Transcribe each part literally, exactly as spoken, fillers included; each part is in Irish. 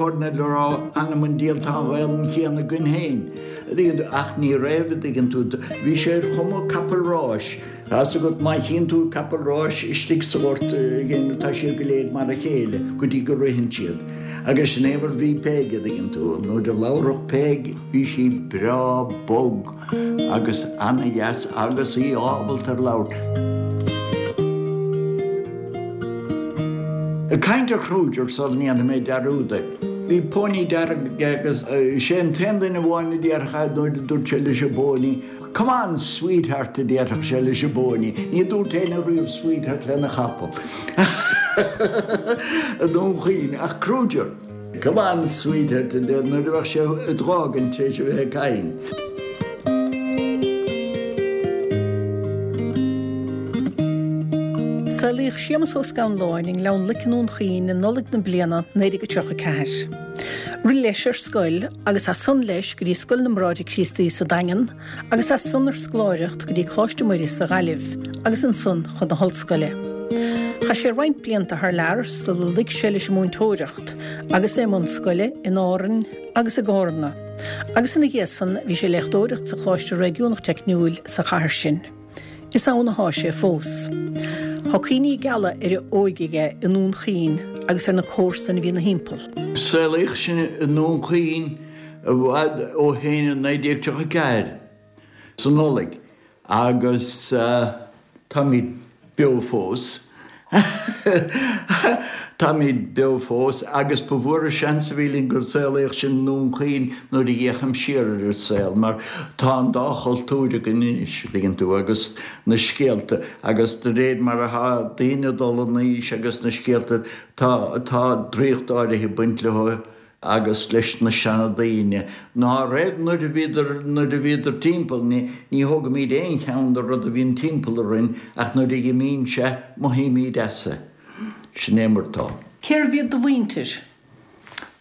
Colonel a rá anam an diabhail tá an Ghaelainn chéanna againn féin. Ach ní raibh, an dtuigeann tú, bhí sé ar chuma capall ráis. Tá's agat má chíonn tú capall ráis istigh sa ghort tá siad go léir mar a chéile go dtí go ritheann siad. Agus sin é mar bhí Peig, an dtuigeann tú, nuair a labharfadh Peig bhí sí breá bog agus ana-dheas agus í ábalta ar labhairt. Ag caint ar Kruger sula ndéanfaidh mé dearúd air. Bhí póiní dearg aige agus sé an t-aon duine amháin a déarfadh nuair a dúirt sé leis an bpóiní, 'Come on, sweetheart' a déarfadh sé leis an bpóiní. Ní dúirt éinne riamh sweetheart lena chapall. I nDún Chaoin, ach Kruger. Come on, sweetheart a deir nuair a bheadh sé ag d'fhágaint tar éis a bheith ag caint. Saolaíodh Séamus Ó Scanláin i nGleann Loic i nDún Chaoin i Nollaig na bliana naoi déag tríocha ceathair. Rith leis ar scoil agus as san leis go dtí Scoil na mBráithre Críostaí sa Daingean agus as san ar scoláireacht go dtí Coláiste Muire sa Ghaillimh agus ansan chun na hollscoile. Chaith sé roinnt blianta thar lear sula luigh sé leis an múinteoireacht agus é i mbun scoile in Árainn agus i gCárna. Agus ina dhiaidh san bhí sé ag léachtóireacht sa Choláiste Réigiúnach Teicniúil sa chathair sin. Is ann athá sé fós. Tá cuimhní geala ar a óige aige i nDún Chaoin agus ar na comharsain a bhí ina thimpeall. Saolaíodh sinn i nDún Chaoin i bhfad ó shin i naoi déag tríocha ceathair, sa Nollaig, agus táimid beo fós. Táimid beo fós agus ba mhór an seans a bhí linn gur saolaíodh sinn i nDún Chaoin nuair a fhéachaim siar ar an saol mar tá an dá chultúr againn anois, an dtuigeann tú, agus na scéalta agus de réir mar atá daoine ag dul in aois agus na scéalta, tá, tá draíocht áirithe ag baint leo agus leis na seandaoine ná raibh nuair a bhíodar, nuair a bhíodar timpeall, ní, ní thógaimid aon cheann de rud a bhíonn timpeall orainn ach nuair a dh'imíonn sé, mothaímid as é. Sin é mar atá. Cérbh iad do mhuintir?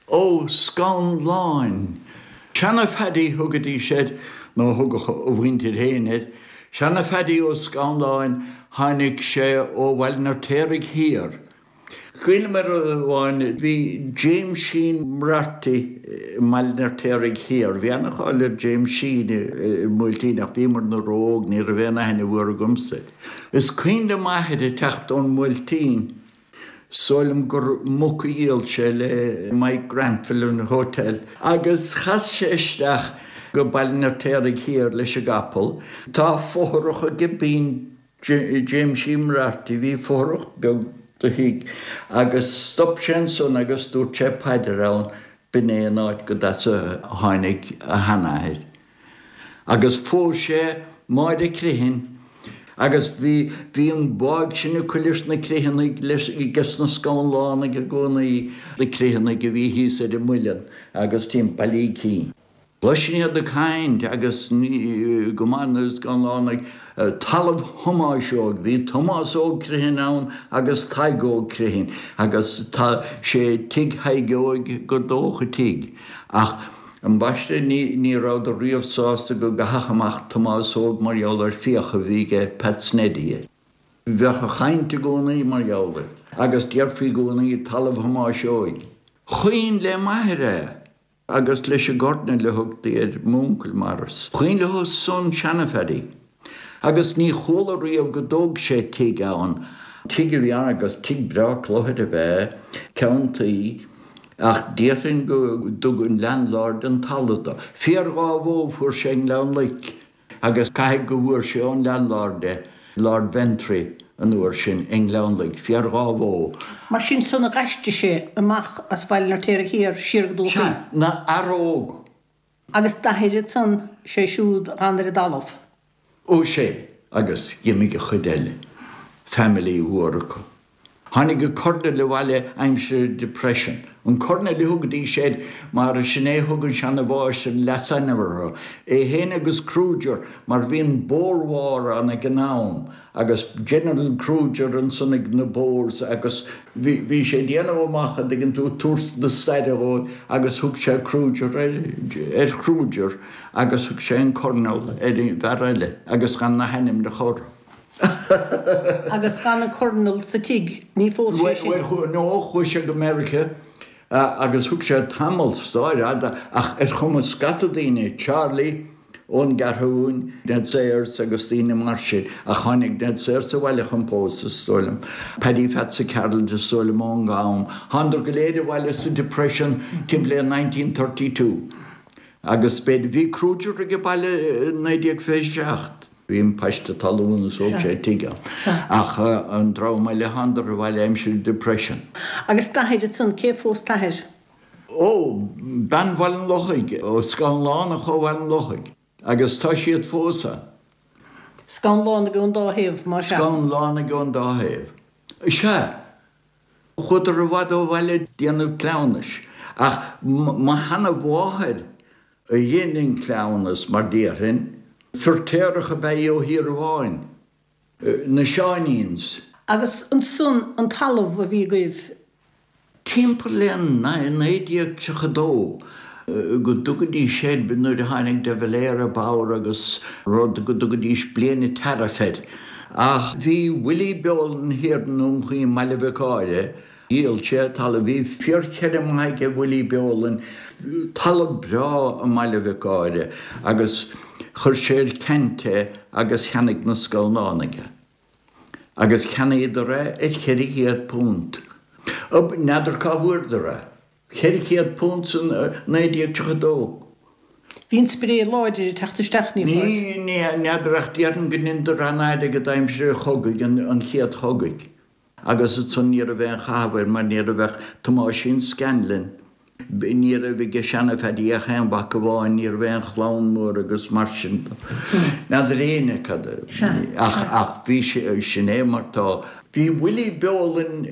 Ó Scanláin. Seana-Phaddy thugaidís air, nó thugadh a mhuintir féin air. Seana-Phaddy Ó Scanláin, tháinig sé ó Bhaile an Fheirtéaraigh Thiar. Cuimhním ar rud amháin, bhí Jameisín Moriarty i mBaile an Fheirtéaraigh Thiar. Bhí ana-cháil ar Jameisín i mBuailtín ach bhíomarna ró-óg, ní raibh aon aithne mhór agamsa air. Is cuimhin le m'athair ag teacht ón mBuailtín, is dóigh liom gur muc a dhíol sé le Mike Granville an hotel, agus chas sé isteach go Baile an Fheirtéaraigh Thiar leis an gcapall. Tá fothrach ag bean Jameisín Moriarty, bhí fothrach beag de thigh agus stop sé ansan agus dúirt sé paidir ann, b'in é an áit go as a tháinig a sheanathair. Agus phós sé Máire Criomhthain agus bhí, bhí an báidh sin acu leis na Criomhthanaigh, leis, ages na Scanlánaigh i gcónaí, na Criomhthanaigh a bhí thíos ar an Muileann agus timpeall Uí Cinn. Chloisinn iad ag caint agus go maith na Scanlánaigh, talamh Thomáis Óig, bhí Tomás Óg Criomhthain ann agus Tadhg Óg Criomhthain agus tá sé tigh Thaidhg Óig gur dócha tigh. Ach ambaiste ní ní rabhadar riamh sásta go gcaithfeadh amach Tomás Óg mar gheall ar fiacha a bhí aige Pat Sneddy air. Bheadh an chaint i gcónaí mar gheall air agus déarfaí i gcónaí talamh Thomáis Óig. Chuimhin le m'athair é. Agus leis an gCornal a thugtaí ar m'uncail Maurice. Chuimhin leo san seana-Phaddy. Agus ní chuala riamh go dtóg sé tigh ann. Tigh a bhí ann agus tigh breá cluthair ab ea é, ceann tuí, ach déarfainn go dtug an landlord an talamh dó. Féar dhá bhó fuair sé i nGleann Loic. Agus caithfidh go bhfuair sé ón landlord é, Lord Ventry an uair sin, i nGleann Loic, féar dhá bhó. Mar sin san a dh'aistrigh sé amach as Baile an Fheirtéaraigh Thiar siar go Dún Chaoin. Sea, 'na fhear óg. Agus d'athair ansan, sé siúd a dh'fhan ar an dtalamh. Ó sea, agus dh'imigh an chuid eile, family mhór acu. Tháinig an Colonel abhaile aimsir an Depression. An Colonel a thugaidís air mar sin é a thug an seana-mháistir an leasainm orthu, é féin agus Kruger mar bhí an Boer War ann ag an am agus General Kruger ansan ag na Boers agus bhí bhí sé ag déanamh amach an dtuigeann tú tabhairt na staire dhóibh agus thug sé Kruger ar ar Kruger agus thug sé an Colonel ar an bhfear eile agus gan na hainmneacha orthu. Agus d'fhan an Colonel sa tigh, ní phós sé sin. Bhuel, no, chuaigh sé go Meiriceá Agus thug sé tamall stáir fhada ach ar chuma scata daoine, Charlie ón gCeathrúin, Ned Sayers agus daoine mar sin, ach tháinig Ned Sayers abhaile chun pósadh, is dóigh liom. Paddy Phatsa Carroll is dóigh liom ón gCam. Thánadar go léir abhaile sa Depression timpeall le nineteen thirty two. Agus b'fhéidir, bhí Kruger age baile i naoi déag fiche seacht. Bhí an paiste talún is thóg sé tigh ann. Ach an dream eile thánadar abhaile aimsir Depression. Agus d'athair ansan, cé phós t'athair? Ó, bean Bhaile an Lochaigh, ó Scanlánach ó Bhaile an Lochaigh. Agus tá siad fós ann. Scanlánaigh ón dá thaobh, más ea? Scanlánaigh ón dá thaobh. Sea. Chuadar i bhfad ó bhaile ag déanamh cleamhnais. Ach mo sheana-mháthair a dhein an cleamhnas, mar déarfainn. Feirtéarach ab ea í ó Thír Amháin. Na Seáiníns. Agus ansan an talamh a bhí agaibh? Timpeall le naoi déag tríocha dó go dtugaidís air, nuair a tháinig de Valera i bpower agus rud, go dtugaidís bliain an tariff air. Ach bhí Willie Beolan thiar i nDún Chaoin, Baile Mhic Áire, dhíol sé talamh, bhí fíorfheirm mhaith aige Willie Beolan, talamh breá i mBaile Mhic Áire agus chuir sé ar ceant é agus cheannaigh na Scanlánaigh é. Agus cheannaíodar é ar cheithre chéad punt. N'fheadar cá bhfuaireadar é. Ceithre chéad punt san naoi déag tríocha dó. Bhí an spré láidir ag teacht isteach, ní Ní, ní, n'fheadar ach déarfainn go ndeineadar an-airgead aimsir an chogaidh, an chéad chogaidh. Agus ansan ní raibh aon chaitheamh air mar ní raibh ach Tomáisín Scanlon, ní raibh aige seana-Phaddy ach aon mhac amháin, ní raibh aon chlann mór agus mar sin de. N'fheadar éinne cad a, ach, ach bhí sé, sin é mar tá. Bhí Willie Beolan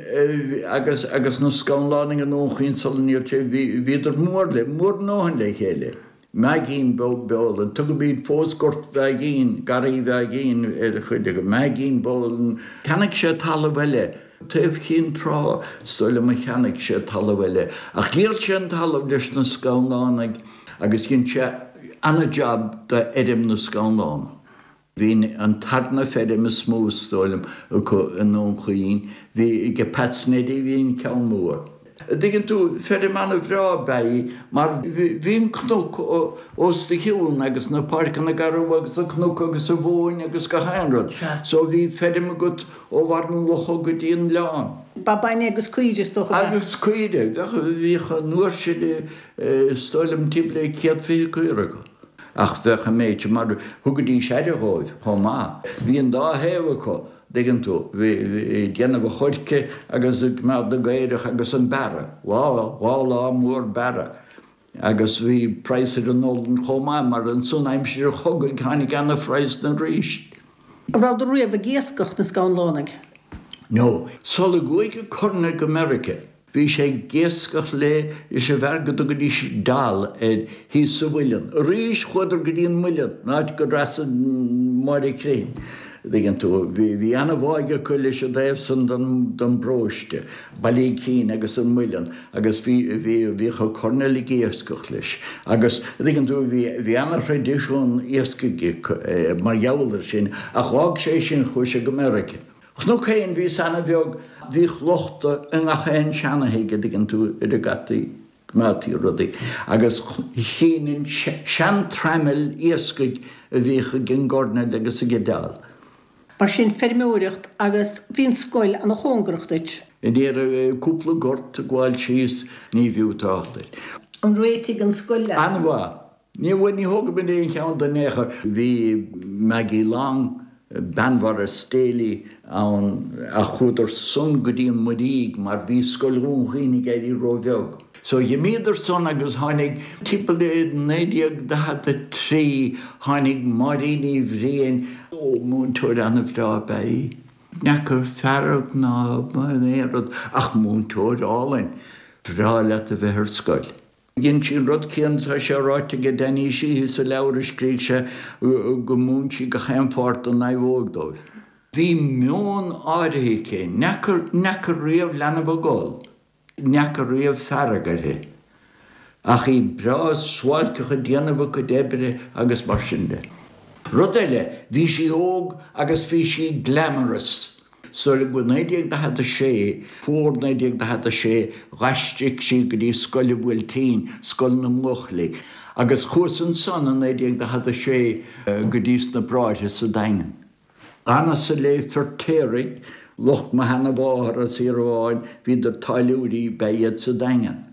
agus, agus na Scanlánaigh i nDún Chaoin sula ndíol sé, bhí, bhíodar mór le, mór a ndóthain le chéile. Meaigín Beolan, tugaimid fós Gort Mheaigín, Garraí Mheaigín ar chuid acu, Meaigín Beolan. Cheannaigh sé talamh eile, taobh Chinn Trá, is dóigh liom a cheannaigh sé talamh eile. Ach dhíol sé an talamh leis na Scanlánaigh agus dhein sé ana-jab d'fheirm na Scanlánach. Bhí an tarna feirm is mó, is dóigh liom, acu i nDún Chaoin. Bhí ag Pat Neddy, bhí an ceann mór. An dtuigeann tú, feirm an-bhreá ab ea í mar bhí an cnoc os do chionn agus na páirceanna garbha agus an cnoc agus an mhóin agus gach aon rud. So bhí feirm agat ó bharr an locha go dtí an oileán. Ba bainne agus caoire is dócha ab ea? Agus caoire. Bheadh, bhíodh an uair sin is dóigh liom timpeall le céad fiche caora acu. Ach bheadh an méid sin mar thugaidís aire dhóibh chomh maith. Bhí an dá thaobh acu. dtuigeann tú, bhí ag déanamh an choirce agus ag coimeád na gcaorach agus an bearradh, lá, dhá lá mór bearradh. Agus bhí praghas ar an olann chomh maith mar ansan aimsir an chogaidh tháinig ana-phraghas arís. An rabhadar riamh ag iascach, na Scanlánaigh? No. Sula gcuaigh an Colonel go Meiriceá. Bhí sé ag iascach le leis an bhfear go dtugaidís Dal air thíos sa mhuileann. Arís chuadar go dtí an muileann, an áit go dtrasnaigh Máire Crithin. Dtuigeann tú, bhí bhí ana-bháidh acu leis an dtaobh san den den bparóiste, Baile Icín agus an muileann agus bhí bhí bhíodh an Colonel ag iascach leis. Agus dtuigeann tú, bhí bhí ana-thraidisiún iascaigh acu mar gheall ar sin ach dh'fhág sé sin, chuaigh sé go Meiriceá. Chonac féin, bhíos ana-bheag, bhíodh lochta i ngach aon seana-thigh, a dtuigeann tú, ar a gcaití, coimeádtaí rudaí, agus chíninn sean-traimil iascaigh a bhíodh ag an gcoirnéal agus ag Dal. Mar sin, feirmeoireacht agus bhí an scoil ana-chóngarach duit. Ní raibh cúpla gort ag gabháil síos, ní bhfiú trácht air. An réitigh an scoil leat? An-mhaith. Ní bhfuair, ní thógfaidh mé aon cheann de in aon chor. Bhí Maggie Long, bean Mhaurice Daly, ann ach chuadar san go dtí an Muirígh mar bhí Scoil Dhún Chaoin ag éirí ró-bheag. So dh'imíodar san agus tháinig, timpeall le naoi déag daichead a trí, tháinig Máirín Uí Bhriain, ó, múinteoir ana-bhreá ab ea í. N'fheacar fearg ná aon rud ach múinteoir álainn. Bhreá leat a bheith ar scoil. Dhein sí an rud céanna, tá sé ráite aige Danny Sheehy sa leabhar a scrígh sé, go múin sí gach aon pháirt den naomhóg dóibh. Bhí meon áirithe aici, n'fheacar, n'fheacar riamh leanbh ag gol, n'fheacar riamh fearg uirthi, ach í breá suáilceach ag déanamh a cuid oibre agus mar sin de. Rud eile, bhí sí óg agus bhí sí glamorous. So go naoi déag daichead a sé, fómhar naoi déag daichead a sé, dh'aistrigh sí go dtí Scoil an Bhuailtín, scoil na mbuachaillí, agus chuas ansan i naoi déag daichead a sé go dtí sna Bráithre sa Daingean. D'fhanas-sa le Feirtéaraigh, lucht mo sheana-mháthar as Thír Amháin, bhíodar táilliúirí ba ea iad sa Daingean.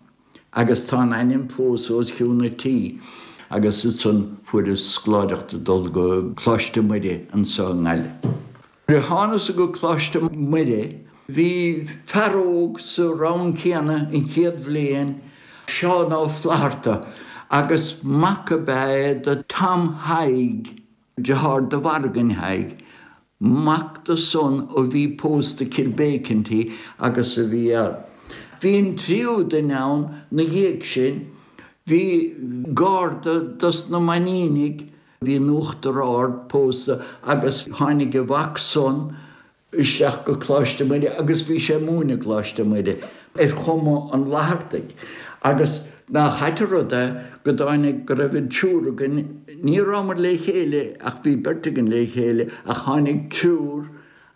Agus tá an ainm fós os cionn an tí. Agus ansan fuaireas scoláireacht ag dul go Coláiste Muire anso i nGaillimh. Nuair a thánas go Coláiste Muire bhí fear óg sa rang céanna an chéad bhliain, Seán Ó Flatharta, agus mac ab ea é do Tom Thaidhg, deartháir do Mhorgan Thaidhg, mac do san a bhí pósta Kilbeacanty agus a bhí ann. Bhí an tríú duine ann 'na dhiaidh sin, bhí garda dos na Mainínigh, Bhí in Uachtar Ard pósta agus tháinig a mhac san isteach go Coláiste Muire agus bhí sé ag múineadh i gColáiste Muire ar chuma an Fhlathartaigh agus nach ait an rud é go dtáinig go raibh an triúr againn, ní rabhamar le chéile ach bhí beirt againn le chéile ach tháinig triúr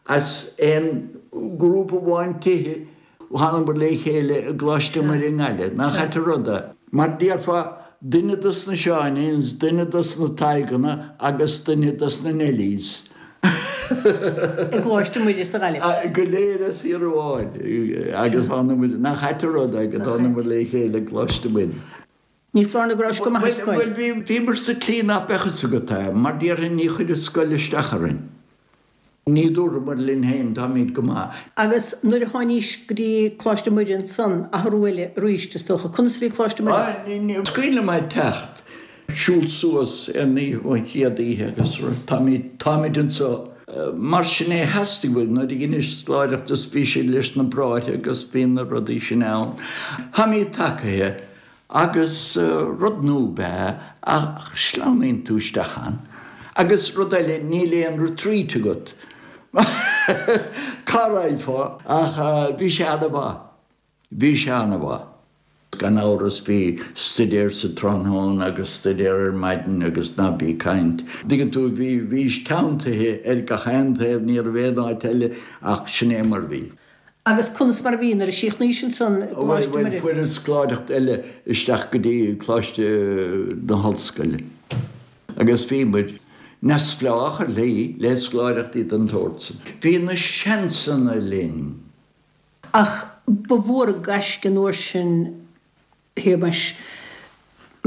as aon ghrúpa amháin tithe Thánamar le chéile i gColáiste Muire i nGaillimh. Nach ait an rud é? Mar déarfá, duine dos na Seáiníns, duine dos na Tadhganna agus duine dos na Neilís. I gColáiste Muire sa Ghaillimh. Go léir as Thír Amháin. Agus thánamar, nach ait an rud é go dtánamar le chéile i gColáiste Muire. Ní foláir nó go rabhais go maith ar scoil. Bhuel, bhíomar sa tslí nach mbeadh fhios agat é, mar déarfainn ní chuireadh scoil isteach orainn. Ní dúramar linn féin, táimid go maith. Agus nuair a tháinís go dtí Coláiste Muire ansan, athrú eile arís, is dócha. Conas a bhí Coláiste Muire? Is cuimhin liom ag teacht, siúl suas ar an oíche, an chéad oíche agus táimid, táimid anseo. Mar sin é, theastaigh uainn nuair a dheineas scoláireacht is bhí siad leis na bráithre agus bhí na rudaí sin ann. Táimid tacaithe. Agus rud nua ab ea ach sleamhnaíonn tú isteach ann. Agus rud eile, níl aon retreat agat. Cá raghfá? Ach bhí sé ana-mhaith. Bhí sé ana-mhaith. Gan amhras bhí stuidéar sa tráthnóna agus stuidéar ar maidin agus ná bí ag caint. Dtuigeann tú, bhí, bhís teanntaithe ar gach aon taobh, ní raibh aon áit eile ach sin é mar bhí. Agus conas mar a bhí nuair a chríochnaís ansan i gColáiste Bhuel, Muire? fuaireas scoláireacht eile isteach go dtí Coláiste na hOllscoile agus bhí muid neamhspleách ar shlí le scoláireachtaí den tsórt san. Bhí na seansanna linn. Ach ba mhór an gaisce an uair sin Shéamais,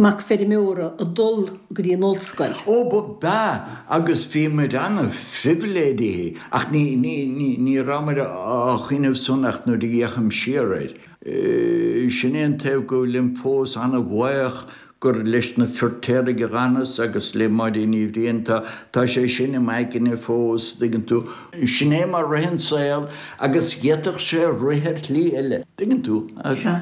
mac feirmeora ag dul go dtí an ollscoil. Ó, ba b'ea, agus bhí muid an-phribhléidithe, ach ní, ní, ní, ní rabhamar á chuimhneamh san ach nuair a fhéachaim siar air. Sin é an taobh go bhfuilim fós an-bhuíoch gur leis na Feirtéaraigh a dh'fhanas agus le Máirín Ní Bhriain, tá, tá sé sin i m'aigne fós, dtuigeann tú. Sin é mar rith an saol agus d'fhéadfadh sé rith ar shlí eile, dtuigeann tú,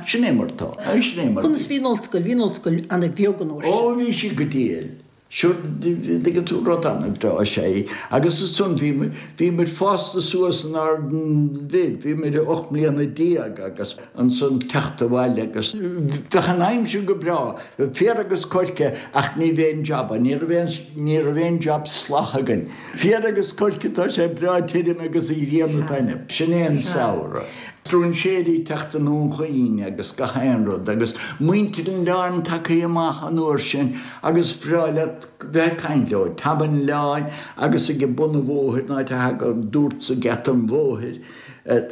sin é mar tá, sin é mar Conas bhí. bhí an ollscoil? Bhí an ollscoil ana-bheag an uair Ó, sin. bhí sí go diail. Sure, dtuigeann tú, rud an-bhreá is ea í. Agus ansan bhí muid, bhí muid fásta suas inár bhfir, bhí muid ocht mbliana déag agus ansan teacht abhaile agus bheadh an aimsir go breá, bheadh féar agus coirce ach ní bheadh aon jab ann, ní raibh aon, ní raibh aon jab salach againn. Féar agus coirce, tá sé breá tirim agus an ghrian ag taitneamh. Sin é an samhradh. Stróinséirí ag teacht i nDún Chaoin agus gach aon rud agus muintir an oileáin tagtha amach an uair sin agus bhreá leat bheith ag caint leo. Tom an Oileáin agus ag bun an bhóthair, an áit a thagadh dúrtsa geata an bhóthair,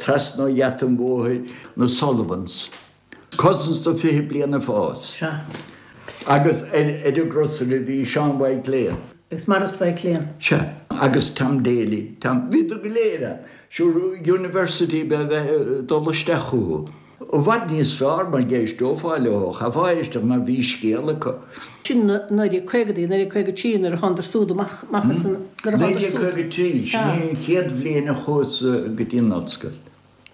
trasna ó gheata an bhóthair, na Sullivans. Cousins do fiche bliain ag fás. Agus ar an gcrosaire bhí Seán Mhaidhc Léan. Agus Maurice Mhaidhc Léan. Sea. Agus Tom Daly. Tom, bhíodar go léir ann. Sure, University ba ea bheith ag dul isteach chucu. I bhfad níos fearr mar d'éisteofá leo, chaithfeá éisteacht mar bhí scéal acu. Sin naoi déag caogaidí, naoi déag caoga trí nuair a thánadar súd amach, amach as an, nuair a Naoi thánadar déag súd. caoga trí, sin é an chéad bhliain a chuas go dtí an ollscoil.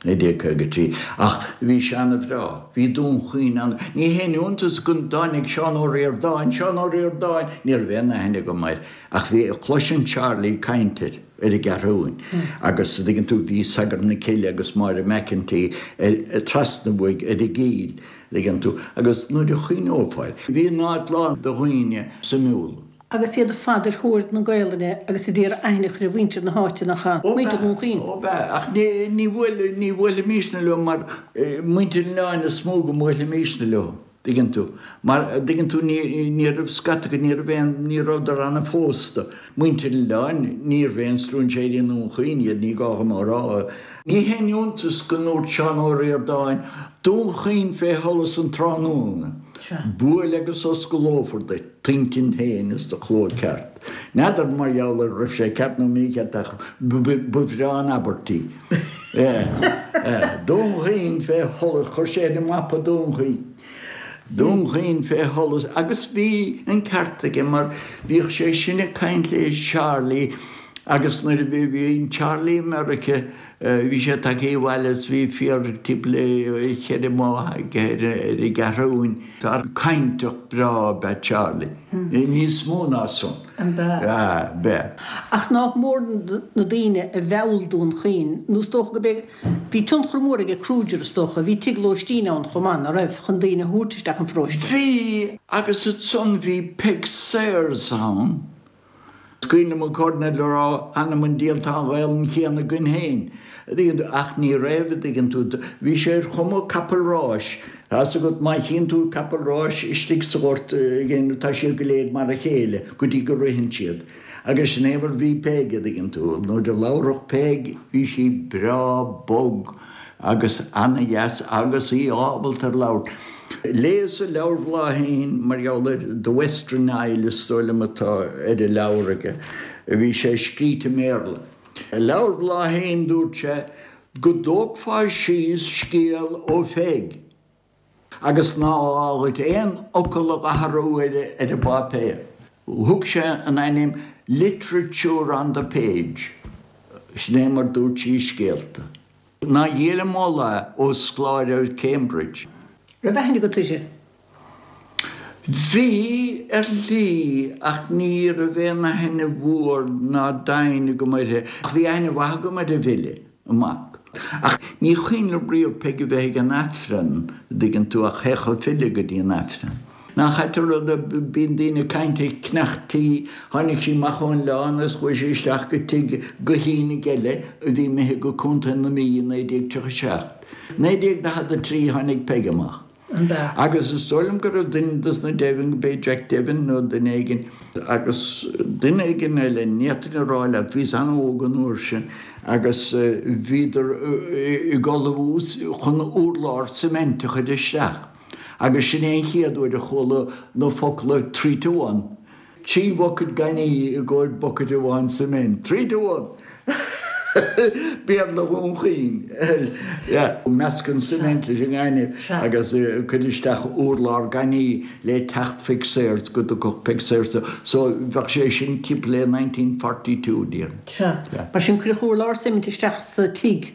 naoi déag caoga trí, ach bhí sé ana-bhreá. Bhí Dún Chaoin ana. Ní haon iontas go dtáinig Seán Ó Ríordáin, Seán Ó Ríordáin! Ní raibh aon aithne agam air, ach bhí, chloisinn Charlie ag caint air, ar an gCeathrúin, agus a dtuigeann tú, bhí Sagart na Cille agus Máire McEntee ar, trasna uaidh ar an gCill, a dtuigeann tú, agus nuair a chuimhneofá air, bhí an áit lán de dhaoine suimiúla. Agus iad ar fad ar thóir na Gaelainne agus ag iarraidh aithne a chur ar mhuintir na háite, nach ea? Muintir Dhún Chaoin. Ó b'ea, ach ní ní bhuailfimisne leo mar muintir an oileáin is mó go mbuailfimisne leo, dtuigeann tú. Mar, dtuigeann tú, ní ní raibh scata acu, ní raibh aon, ní rabhadar ana-phósta. Muintir an oileáin, níorbh aon stróinséirí i nDún Chaoin iad, ní gá dhom a rá. Ní haon iontas go ndúirt Seán Ó Ríordáin, Dún Chaoin fé sholas an tráthnóna. Buail agus osclófar duit t'intinn féin is do chló ceart. N'fheadar mar gheall ar raibh sé ceart nó mícheart ach ba bhreá an abairt í. Dún Chaoin fé sholas, chuir sé ar an mapa Dún Chaoin. Dún Chaoin fé sholas agus bhí an ceart aige mar bhíodh sé sin ag caint le Charlie agus nuair a bhí bhí Charlie i Meiriceá bhí sé tagtha abhaile is bhí fear timpeall le cheithre mhaith aige ar an gCeathrúin. Fear cainteach breá ab ea Charlie. Níos mó ná san. An b'ea? B'ea. Ach nach mór na daoine a mheall Dún Chaoin, nó is dócha go b'é, bhí tionchar mór aige Kruger is dócha, bhí tigh lóistín ann chomh maith, ná raibh, chun daoine a thabhairt isteach an pharóiste. Bhí, agus ansan bhí Peig Sayers ann. Is cuimhin liom an Cairdinéal ag rá, Th'anam 'on diabhal tá an Ghaelainn chéanna againn féin, a dtuigeann tú, ach ní raibh, a dtuigeann tú. Bhí sé ar chuma capall ráis. Tá fhios agat, má chíonn tú capall ráis istigh sa ghort, tá siad go léir mar a chéile go dtí go ritheann siad. Agus sin é mar bhí Peig, a dtuigeann tú. Nuair a labharfadh Peig, bhí sí breá bog agus ana-dheas agus í ábalta ar labhairt. Léas i leabhar Bhláithín mar gheall ar The Western Isle is dóigh liom atá ar an leabhar aige. Bhí sé scríte i mBéarla. I leabhar Bhláithín dúirt sé go dtógfá síos scéal ó Pheig agus ná gá dhuit aon fhocal a dh'athrú ar an bpáipéar. Thug sé an ainm Literature on the Page. Sin é mar dúirt sí scéalta. Ná dhíol an moladh é ó scoláire ar Cambridge. Raibh aithne agat uirthi? Bhí, ar shlí, ach ní raibh aon aithne mhór ná doimhin agam uirthi. Ach bhí aithne mhaith agam ar an bhfile, an mac. Ach ní cuimhin liom riamh Peig a bheith ag an Aifreann, an dtuigeann tú, ach théadh an file go dtí an Aifreann. Nach ait an rud é, bíonn daoine ag caint ar cneachtaí, tháinig sí amach ón oileán agus chuaigh sí isteach go tigh Guithínigh eile a bhí imithe go Contae na Mí i naoi déag tríocha a seacht. naoi déag daichead a trí tháinig Peig amach. Agus is dóigh liom go raibh duine dos na Devin, go b'é Jack Devin nó duine éigin, agus duine éigin eile, ní fhéadfainn a rá leat, bhíos an-óg an uair sin, agus bhíodar ag ullmhú chun urlár cement a chur isteach. Agus sin é an chéad uair a chuala na focla three to one. Trí bhucket gainimh i gcomhair bucket amháin cement. Three to one! Béarla Dhún Chaoin. Yeah. Measc an cement leis an ngaineamh agus cuir isteach urlár gainimh le teacht Pheig Sayers go dtiocfadh Peig Sayers. So bheadh sé sin timpeall le nineteen forty two, déarfainn. Sea. Mar sin cuireadh urlár cement isteach sa tigh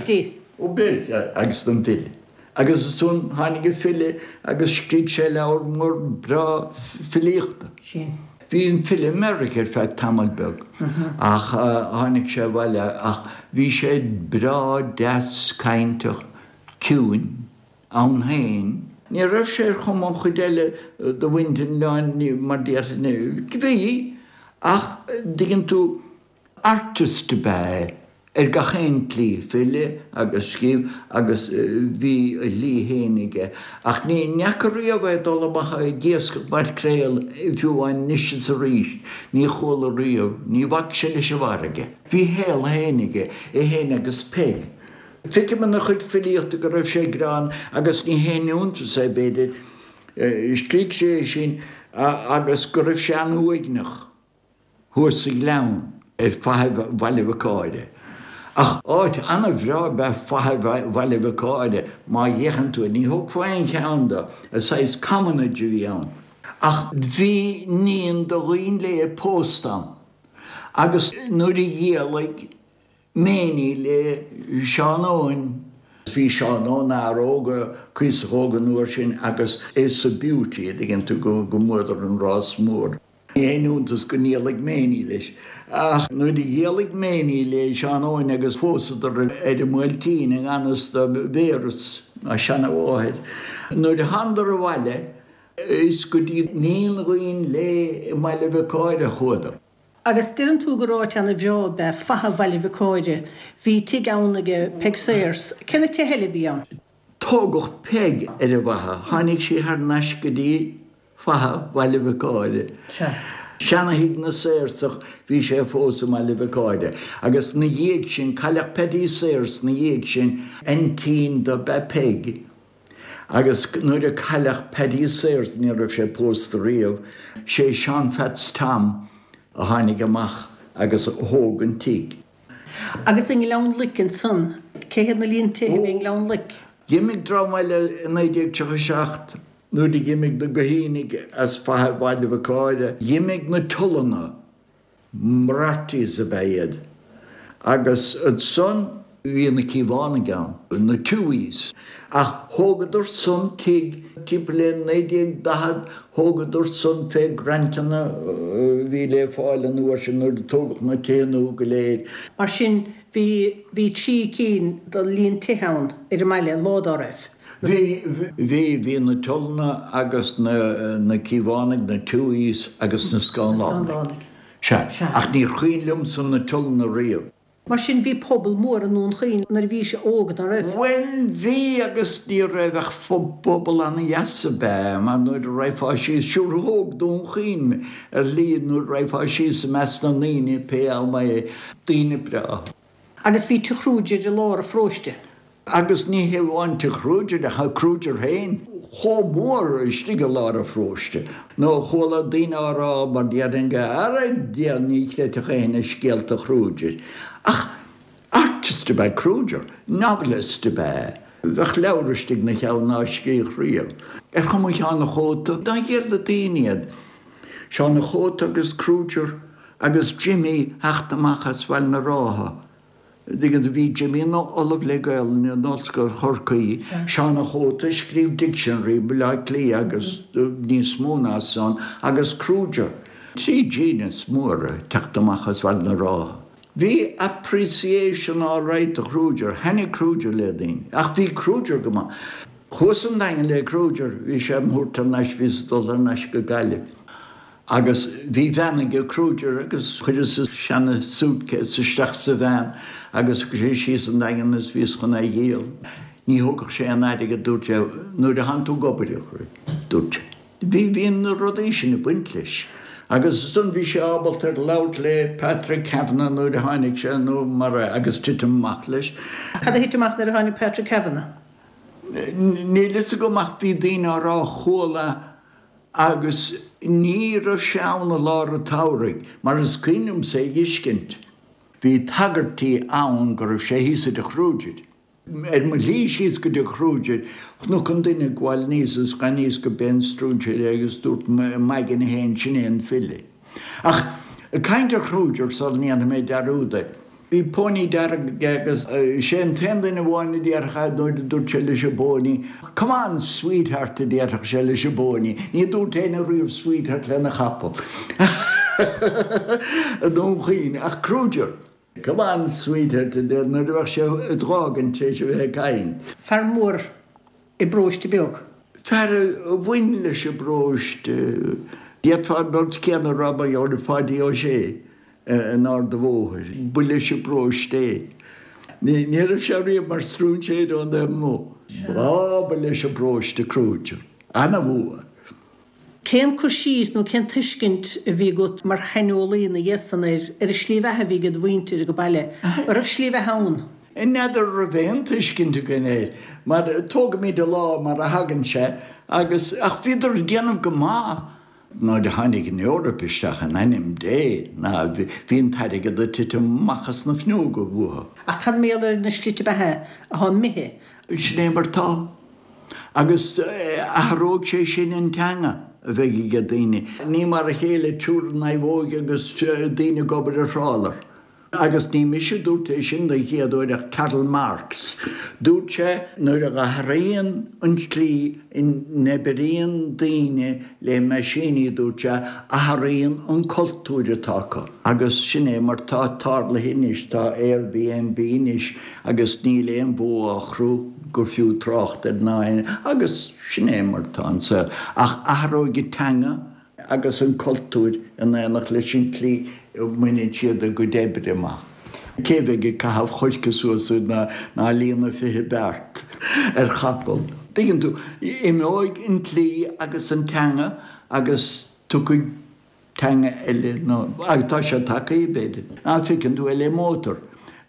di. Ó b'ea. Agus don bhfile. Agus ansan tháinig an file agus scrígh sé leabhar mór breá filíochta. Sin. Bhí an file i Meiriceá ar feadh tamaill beag ach tháinig sé abhaile ach bhí sé breá deas cainteach ciúin ann féin. Ní raibh sé ar chuma an chuid eile de mhuintir an oileáin mar déarfainn. Bhí ach dtuigeann tú artist ab ea é. Ar gach aon tslí, file agus scríobh agus bhí a shlí féin aige. Ach ní fhaca riamh é ag dul amach ag iascach maicréal, fiú amháin anois is arís. Ní chuala riamh, ní bhac sé leis an bhfarraige. Bhí a shaol féin aige, é féin agus Peig. Feicim ina chuid filíochta go raibh sé greann agus ní haon iontas é, b'fhéidir. Scrígh sé é sin agus go raibh sé an-uaigneach. thuas sa ghleann ar Faiche Bhaile Mhic Áire. Ach áit ana-bhreá ab ea Faiche Bhaile Mhic Áire má fhéachann tú air. Ní thógfá aon cheann de, saghas commonage a bhí ann. Ach bhí níon do dhaoine léi pósta ann agus nuair a dhialaigh Méiní le Seán Eoin. Bhí Seán Eoin fhear óg, cuíosach óg an uair sin agus é sa Beauty, a dtuigeann tú, go mbuadar an rás mór. Ní haon iontas go ndíolaigh Méiní leis. Ach nuair a dhíolaigh Méiní le Seán Eoin agus phósadar ar an mBuailtín i ngan fhios do Mhéaras, a seana-mháthair, nuair a thánadar abhaile, Is go dtí Naíon Ghuin Léith i mBaile Bhiocáire a chuadar. Agus deireann tú gur áit ana-bhreá ab ea Faiche Bhaile Bhiocáire. Bhí tigh ann aige Peig Sayers. Cé na tithe eile a bhí ann? Tógadh Peig ar an bhFaiche. Tháinig sí thar n-ais go dtí Faiche Bhaile Bhiocáire. Sea. Seana-thigh na Saorsach, bhí sé fós i mBaile Bhiocáire. Agus 'na dhiaidh sin, cailleadh Paddy Sayers 'na dhiaidh sin, aintín dob ea Peig. Agus nuair a cailleadh Paddy Sayers, ní raibh sé pósta riamh, sé Seán Pheaits Tom a tháinig amach agus a thóg an tigh. Agus i nGleann Loic ansan, cé hiad na líon tithe a bhí i nGleann Loic? D'imigh dream eile i naoi déag tríocha a seacht nuair a d'imigh na Guithínigh as Faiche Bhaile Bhiocáire. D'imigh na Tullanna, Moriartys ab ea iad, agus ansan bhí na Cíobhánaigh ann, na Tuohys. Ach thógadar san tigh timpeall le naoi déag daichead, thógadar san fé grantanna a bhí le fáil an uair sin nuair a tógadh na tithe nua go léir. Mar sin bhí, bhí trí cinn de líon tithe ann ar an mbaile lá dá raibh. Bhí, bhí, bhí na Tullanna agus na, na Cíobhánaigh, na Tuohys agus na Scanlánaigh. Sea. Ach níor chuimhin liomsa na Tullanna riamh. Mar sin bhí pobal mór i nDún Chaoin nuair a bhís óg, ná raibh? Bhuel, bhí agus ní raibh ach pobal ana-dheas ab ea, mar nuair a raghfá síos, siúr thóg Dún Chaoin mé, ar shlí, nuair a raghfá síos i measc na ndaoine pé am é, daoine breátha. Agus bhí Tigh Kruger i lár an pharóiste. Agus ní hé amháin Tigh Kruger ach Kruger féin chomh mór istigh i lár an pharóiste nó chuala daoine á rá mar déarfainn go Ara Dia ní chreidfeadh éinne scéalta Kruger. Ach artist ab ea Kruger, novelist ab ea. Bheadh leabhar istigh 'na cheann ná scríobh riamh. Ar chuma Sheáin a' Chóta, dá ghéar le daoine iad. Seán a' Chóta agus Kruger agus Jimmy theacht amach as Bhaile na Rátha. Dtuigeann tú, bhí Jimmy ina ollamh le Gaelainn in Ollscoil Chorcaí, Seán a' Chóta a scríobh Dictionary Bhaile Átha Cliath agus níos mó ná san, agus Kruger. Trí genius móra ag teacht amach as Bhaile na Rátha. Bhí appreciation all right do Kruger, thaitnigh Kruger le daoine. Ach bhí Kruger go maith. Chuas an Daingean le Kruger, bhí sé im thabhairt thar n-ais, bhíos ag dul thar n-ais go Gaillimh. Agus bhí veain aige Kruger agus chuireas a seana suitcase isteach sa veain agus thug sé síos an Daingean is bhíos chun é a dhíol. Ní thógfadh sé aon airgead dúirt sé nuair a thánn tú ag obair a chroí, dúirt sé. Bhí, bhí na rudaí sin ag baint leis. Agus ansan bhí sé ábalta ar labhairt le Patrick Kavanagh nuair a tháinig sé nó mar a, agus titim amach leis. Cad a thit amach nuair a tháinig Patrick Kavanagh? Níl fhios agam ach bhí daoine á rá chuala Agus ní raibh sé ann i lár an tsamhraidh, mar is cuimhin liomsa é a dh'fheiscint. Bhí tagairtí ann go raibh sé thíos i dtigh Kruger. Ar mo shlí síos go dtigh Kruger, chonac an duine ag gabháil aníos is aníos go b'é an stróinséir é agus dúirt m'aigne féin, sin é an file. Ach ag caint ar Kruger sula ndéanfaidh mé dearúd air, Bhí póiní dearg aige agus sé an t-aon duine amháin a déarfadh nuair a dúirt sé leis an bpóiní, Come on, sweetheart a déarfadh sé leis an bpóiní. Ní dúirt éinne riamh sweetheart lena chapall i nDún Chaoin ach Kruger. Come on, sweetheart a deir nuair a bheadh sé ag fágaint tar éis a bheith ag caint. Fear mór i bparóiste beag. Fear a bhain leis an bparóiste. D'fhéadfá an rud céanna a rá mar gheall ar Pháidí Ó Sé. in Ard a' Bhóthair. Ba leis an bparóiste é. Ní raibh sé riamh mar stróinséir ón taobh amuigh. Á, ba leis an bparóiste Kruger. Ana-mhór. Cén cur síos nó cén tuiscint a bhí agat mar shaineolaí ina dhiaidh san ar ar an slí bheatha a bhí ag do mhuintir ag an baile? An raibh slí bheatha ann? N'fheadar raibh aon tuiscint againn air, mar tógaimid an lá mar a thagann sé agus, ach bhíodar ag déanamh go maith. Nuair a tháinig an Eoraip isteach, in ainm Dé, ná bhí an t-airgead ag titim amach as na fuinneoga uathu. Ach cad mar gheall ar na slite beatha atá imithe? Sin é mar tá. Agus athróidh sé sin an teanga a bheidh ag daoine. Ní mar a chéile triúr i naomhóig agus daoine ag obair ar thrálar. Agus ní mise a dúirt é sin den chéad uair ach Karl Marx. Dúirt sé nuair a athraíonn an tslí a n-oibríonn daoine le meaisíní, dúirt sé, athraíonn an cultúr atá acu. Agus sin é mar tá tarlaithe anois, tá Airbnb anois agus níl aon bhó á chrú gur fiú trácht air ná aon, agus sin é mar tá an saol. Ach athróidh an teanga agus an cultúr in éineacht leis an tslí a mbaineann siad a gcuid oibre amach. Cé a bheidh ag caitheamh choirce suas ná ná líonadh fiche beart ar chapall? Tuigeann tú, imeoidh an tslí agus an teanga agus tiocfaidh teanga eile nó, agus tá sé tagtha, b'fhéidir. Ná feiceann tú é le mótar.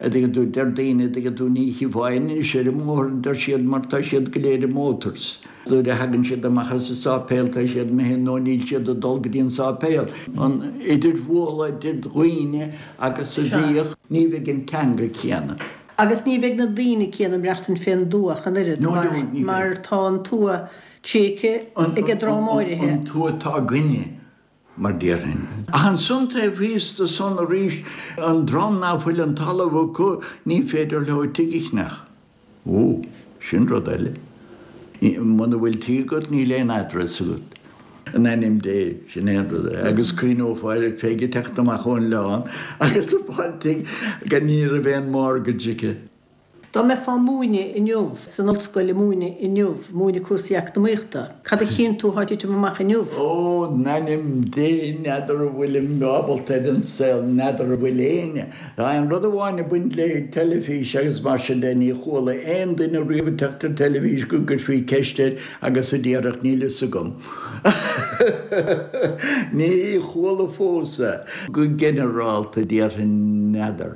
a dtuigeann tú, deir daoine, a dtuigeann tú, ní chífeá anois ar an mbóthar, deir siad, mar tá siad go léir i motors. Nuair a thagann siad amach as an sáipéal tá siad imithe nó níl siad ag dul go dtí an sáipéal. An idirbhualadh idir dhaoine agus a bhíodh, ní bheidh an teanga céanna. Agus ní bheidh na daoine céanna ag maireachtaint fén dtuath ach an oiread, No, no, ní bheidh. mar tá an tuath tréigthe ag an dream áirithe. An tuath atá againne. mar déarfainn. Ach ansan taobh thíos de san arís, an dream ná fuil an talamh acu, ní féidir leo tigh a cheannach. Ó, sin rud eile. Muna bhfuil tigh agat, níl aon address agat. In ainm Dé, sin é an rud é. Agus cuimhneofá ar Pheig ag teacht amach ón oileán agus ag fáil tigh gan ní raibh aon mortgage aici. Dá mbeifeá ag múineadh inniu, san ollscoil ag múineadh inniu, múineadh cúrsaí eacnamaíochta, cad a chíonn tú atá ag titim amach inniu? Ó, in ainm Dé, n'fheadar an bhfuilim ábalta ar an saol, n'fheadar an bhfuil éinne. Tá aon rud amháin ag baint le teilifís agus mar sin de, ní chuala aon duine riamh ag teacht ar teilifís go gcuirfí ceist air agus a déarfadh níl fhios agam. Ní chuala fós é. Go ginearálta déarfainn n'fheadar.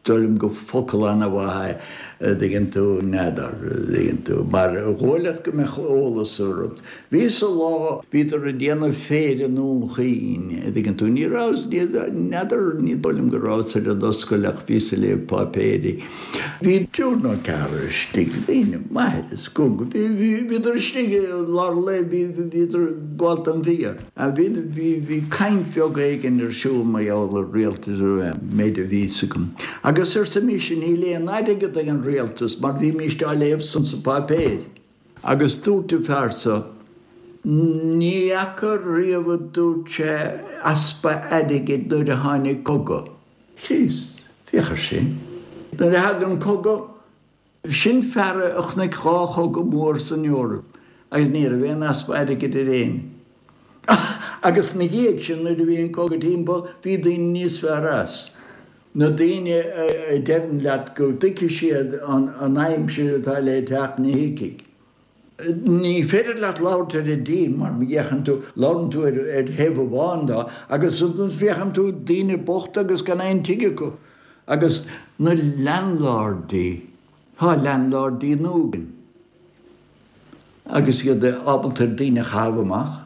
Dóigh liom gur focal ana-mhaith é, a dtuigeann tú, n'fheadar, a dtuigeann tú, mar dhóigh leat go mbeadh eolas ar rud. Bhí sa lá, bhíodar ag déanamh féir i nDún Chaoin, a dtuigeann tú, ní rabhas, n'fheadar, ní dóigh liom go rabhas ar an ollscoil ach bhíos ag léamh páipéirí. Bhí triúr nó ceathrar istigh, daoine maithe is cúnga, bhí, bhí, bhíodar istigh i lár an lae, bhí, bhíodar ag gabháil don bhia. Bhí, bhí, bhí caint bheag éigin ar siúl mar gheall ar rialtas, an méid a bhí 'fhios agam. Agus arsa mise, níl aon airgead ag an rialtas mar bhímíst á léamh san sa páipéir. Agus dúirt an fear so, ní fhaca riamh a dúirt sé, easpa airgid nuair a tháinig cogadh. Chríost, féach ar sin. Nuair a thagann cogadh, Sin fear a chonaic dhá chogadh mór san Eoraip agus ní raibh aon easpa airgid ar éinne. Agus ina dhiaidh sin nuair a bhí an cogadh timpeall bhí daoine níos fearr as. Na daoine a deireann leat go dtuigfidh siad an aimsir atá le teacht ní thuigfidh. Ní féidir leat labhairt ar an dtír mar má fhéachann tú, labhrann tú ar thaobh amháin dó agus féachann tú daoine bochta agus gan aon tigh acu. Agus na landlordaí, tá landlordaí nua againn agus iad ábalta ar daoine a chaitheamh amach.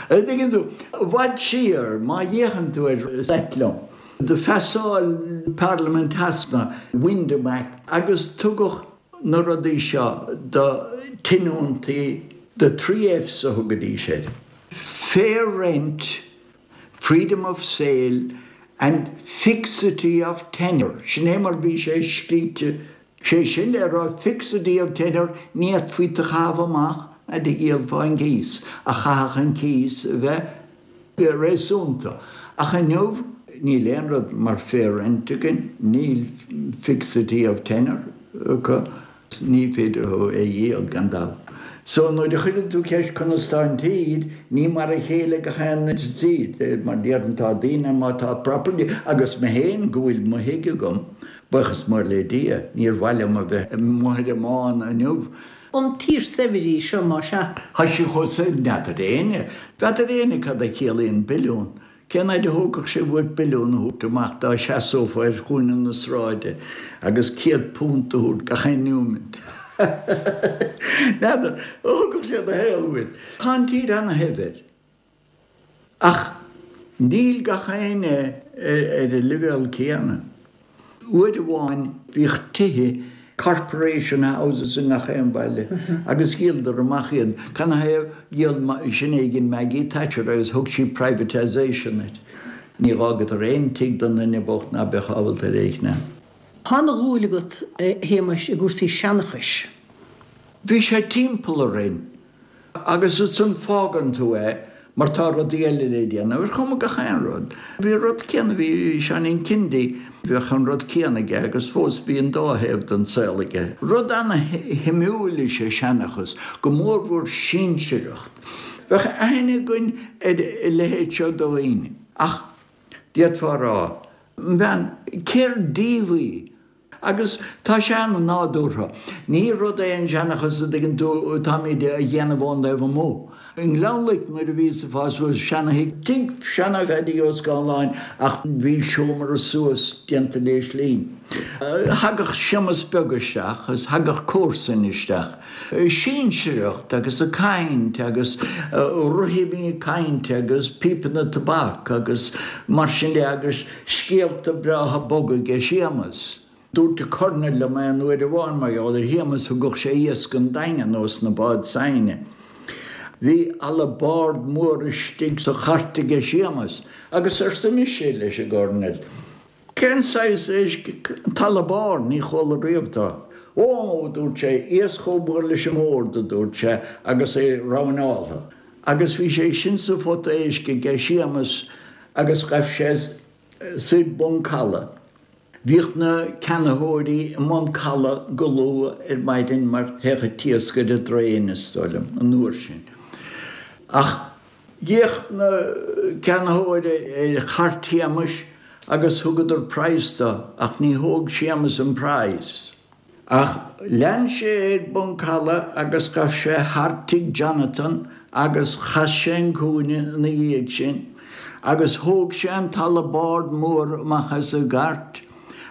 An dtuigeann tú, i bhfad siar, má fhéachann tú ar, is ait liom, do phasáil Parlaimint Shasana Wyndham Act agus tugadh na rudaí seo do tionóntaí, the three Fs a thugaidís air, fair rent, freedom of sale and fixity of tenure, sin é mar bhí sé scríte, sé sin le rá fixity of tenure, ní fhéadfaí tú a chaitheamh amach ná do dhíol fán gcíos, ach chaithfeadh an cíos a bheith réasúnta. Ach inniu níl aon rud mar fair rent againn, níl fixity of tenure acu. Ní féidir leo é a dhíol, gan dabht. So nuair a chuireann tú ceist conas tá an tír, ní mar a chéile gach aon tír, mar déarfainn tá daoine má tá property, agus mé féin go bhfuil mo thigh agam, buíochas mór le Dia, níor mhaith liom a bheith amuigh ar an mbán inniu. An tír saibhir í seo más ea? Tá sí chomh saibhir, n'fheadar éinne, n'fheadar éinne cad a chiallaíonn billiún. Cén fhaid a thógfadh sé uait billiún a thabhairt amach dá seasófá ar chúinne na sráide agus céad punt a thabhairt gach aon neomant? N'fheadar. Thógfadh sé do shaol uait. Tá an tír ana-shaibhir. Ach níl gach éinne ar an leibhéal céanna. Uair amháin bhíodh tithe, corporation houses i ngach aon bhaile agus dhíoladar amach iad. Canathaobh? Dhíol, sin é a dhein Maggie Thatcher agus thug sí privatisation air. Ní fhágadar aon tigh don duine bocht ná beadh ábalta ar é a cheannach. Tá ana-dhúil agat, a Shéamais, i gcúrsaí seanchais. Bhí sé timpeall orainn agus ansan fágann tú é mar tá rudaí eile le déanamh, ar chuma gach aon rud. Bhí an rud céanna, bhí Seáinín Kindy, bheadh an rud céanna aige agus fós bhí an dá thaobh den saol aige. Rud ana-shuimiúil is ea seanchas, go mórmhór sinsearacht. Bheadh aithne againn ar a leithéid seo de dhaoine. Ach d'fhéadfá a rá, bhean, cér díobh í? Agus tá sé an-nádúrtha. Ní rud é an seanchas a dtuigeann tú táimid a dhéanamh ón dtaobh amuigh. I nGleann Loic nuair a bhíos ag fás suas, seana-thigh, tigh seana-Phaddy Ó Scanláin ach bhí seomra suas déanta leis linn. Thagadh Séamas Beag isteach agus thagadh comharsain isteach. Sinsearacht agus ag caint agus rithimí cainte agus píopanna tobac agus mar sin de agus scéalta breátha boga aige Séamas. Dúirt an Colonel liom aon uair amháin mar gheall ar Shéamas, thugadh sé iasc ón Daingean ós na báid s'againne. Bhí alabárd mór istigh sa chairt aige Séamas agus arsa mise leis an gColonel, Cén saghas éisc an t-alabár, ní chuala riamh dó. Ó, a dúirt sé, iasc chomh mór leis an mbord, a dúirt sé, agus é roinneáltha. Agus bhí sé sin sa phota éisc aige Séamas agus ghaibh sé soir Bun Caladh. Bhíodh na ceannaitheoirí i mBun Caladh go luath ar maidin mar théadh an t-iasc ar an dtraein, is dóigh liom, an uair sin. Ach d'fhéach na ceannaitheoirí ar chairt Shéamais agus thugadar praghas dó, ach ní thóg Séamas an praghas. Ach lean sé ar Bun Caladh agus ghabh sé thar tigh Jonathan agus chas sé an cúinne ina dhiaidh sin agus thóg sé an t-alabárd mór amach as an gcairt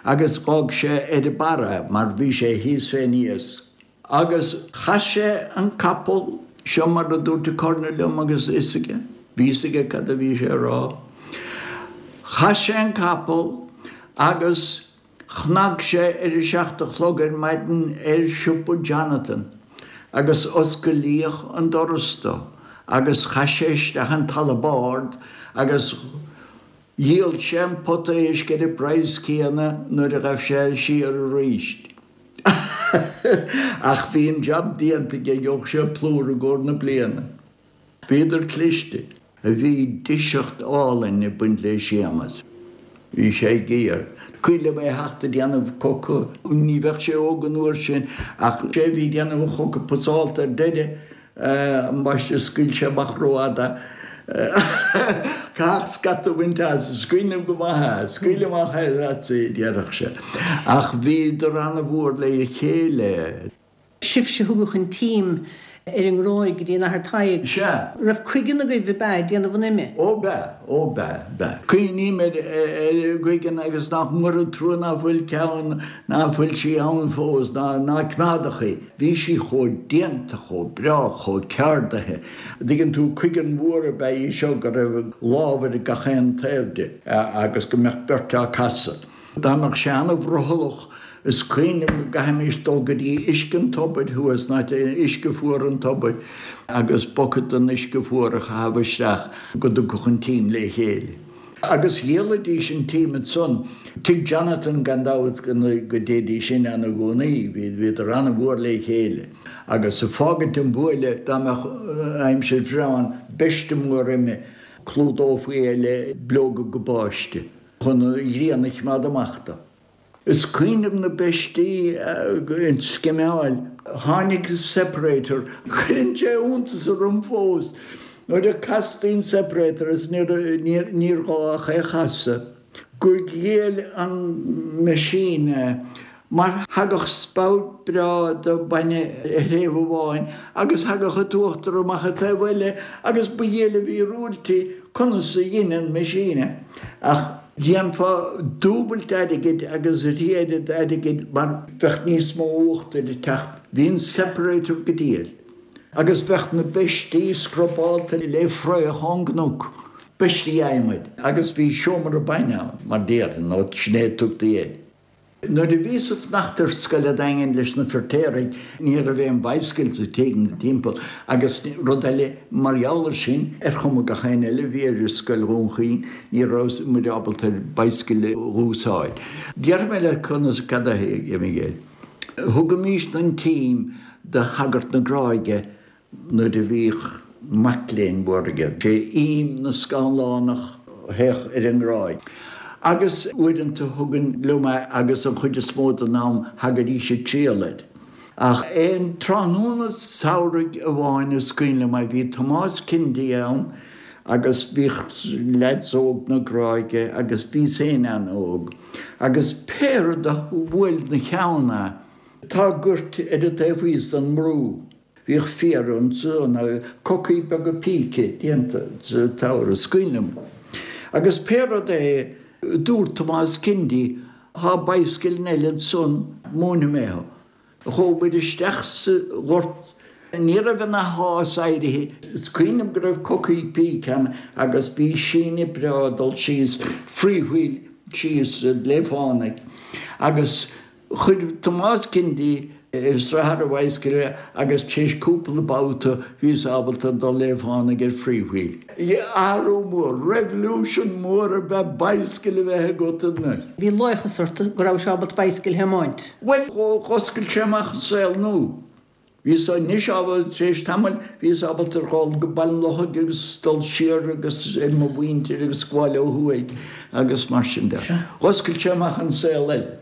agus dh'fhág sé ar an barra é mar bhí sé thíos fén iasc. Agus chas sé an capall, seo mar a dúirt an Colonel liom agus fhios aige, bhí fhios aige cad a bhí sé a rá. Chas sé an capall agus chnag sé ar a seacht a chlog ar maidin ar shiopa Jonathan agus oscailíodh an doras dó agus chaith sé isteach an t-alabárd agus dhíol sé an pota éisc ar an bpraghas céanna nuair a ghabh sé siar aríst. Ach bhí an jab déanta aige, gheobhadh sé plúr i gcomhair na bliana. Bhíodar cliste. Bhí deiseacht álainn ag baint le Séamas. Bhí sé géar. Cuimhin liom é a theacht ag déanamh coca. Ní bheadh sé óg an uair sin ach sé a bhí ag déanamh an choca pasálta ar deireadh. Ambaiste scaoil sé amach rófhada. Caithfidh scata a bhaint as. Is cuimhin liom go maith é. Scaoil amach é leatsa, a déarfadh sé. Ach bhíodar ana-mhór le chéile. Sibhse a thugadh an t-im ar an nGráig go dtí an Athair Tadhg. Sea. Raibh cuigeann agaibh ab ea ag déanamh an ime? Ó b'ea, ó b'ea, b'ea. Cuimhním ar ar gcuigeann agus nach mór an trua ná fuil ceann, ná fuil sí ann fós, ná ná coimeádadh í. Bhí sí chomh déanta, chomh breá, chomh ceardaithe. An dtuigeann tú, cuigeann mhór ab ea í seo go raibh lámh ar gach aon taobh di agus go mbeadh beirt á casadh. Dá mbeadh sé an-bhrothallach, is cuimhin liom go gcaithfimis dul go dtí uisce an tobair thuas, ná uisce fuar an tobair, agus bucket den uisce fuar a chaitheamh isteach go dtugfadh an t-im le chéile. Agus dhíolaidís an t-im ansan, Tigh Jonathan gan dabht go dtéidís in ann i gcónaí, bhíodar an-mhór le chéile. Agus ag fágaint an bhuaile, dá mbeadh aimsir bhreá ann, beiste mór ime, chlúdófaí é le bileoga gabáiste. chun an ghrian a choimeád amach dó. Is cuimhin liom na beistí ag scimeáil. Tháinig separator, cuireann sé iontas orm fós nuair a castaí an separator is níor ghá ach é a chasadh, gur ghéill an machine é. Mar thagadh spout breá de bainne ar thaobh amháin agus thagadh an t-uachtar amach an taobh eile agus ba dhiail a mhíorúilt í conas a dhein an machine é. Ach dhéanfá dúbailt airgid agus a thrí oiread airgid mar bheadh níos mó uachtair ag teacht. Bhí an separator go diail. Agus bheadh na beistí scrubálta le fraoch ón gcnoc, beistí adhmaid, agus bhí seomra bainne ann, mar déarfainn, nó sin é a tugtaí air. Nuair a bhíos ag fanacht ar scoil a' Daingin leis na Feirtéaraigh ní raibh aon bicycle sa tigh na timpeall agus rud eile mar gheall ar sin ar chuma gach aon eile a bhí ar scoil Dhún Chaoin ní raibh muid ábalta ar bicycle a úsáid. Déarfaidh mé leat conas cad é a Mhiguel. Thugaimis an t-im do shagart na Gráige nuair a bhíodh mac léinn mhór aige. Sé im na Scanlánach a théadh ar an nGráig. Agus uaireanta thugainn liom é agus an chuid is mó den am thagaidís ag triall air. Ach aon tráthnóna samhraidh amháin is cuimhin liom é, bhí Tomás Kennedy ann agus bhíodh leaids óg na Gráige agus bhíos féin an-óg. Agus pé rud a bhuail 'na cheann é, tá goirt ar an taobh thíos den mbrú. Bhíodh féar ansan, cocaí beaga píce déanta sa tsamhradh, is cuimhin liom. Agus pé rud é, dúirt Tomás Kennedy, Tá bicycle eile ansan, múinfidh mé thú. Chuaigh muid isteach sa ghort, ní raibh ina shás éirithe. Is cuimhin liom go raibh cocaí píce ann agus bhí síneadh breá ag dul síos, free wheel síos Sliabh Fánaidh. Agus Chuir Tomás Kennedy ar srathar a bhicycle é agus tar éis cúpla babhta bhíos ábalta dul Sliabh Fánaidh ar free wheel. Athrú mór, revolution mór ab ea bicycle a bheith agat anois. Bhí laochas ort go rabhais ábalta bicycle a thiomáint. Bhuel, dh'oscail sé amach an saol nua. Bhíos anois ábalta, tar éis tamaill, bhíos ábalta dhul go Baile an Lochaigh agus dul siar agus ar mo mhuintir agus gabháil ó thuaidh agus mar sin de. Dh'oscail sé amach an saol eile.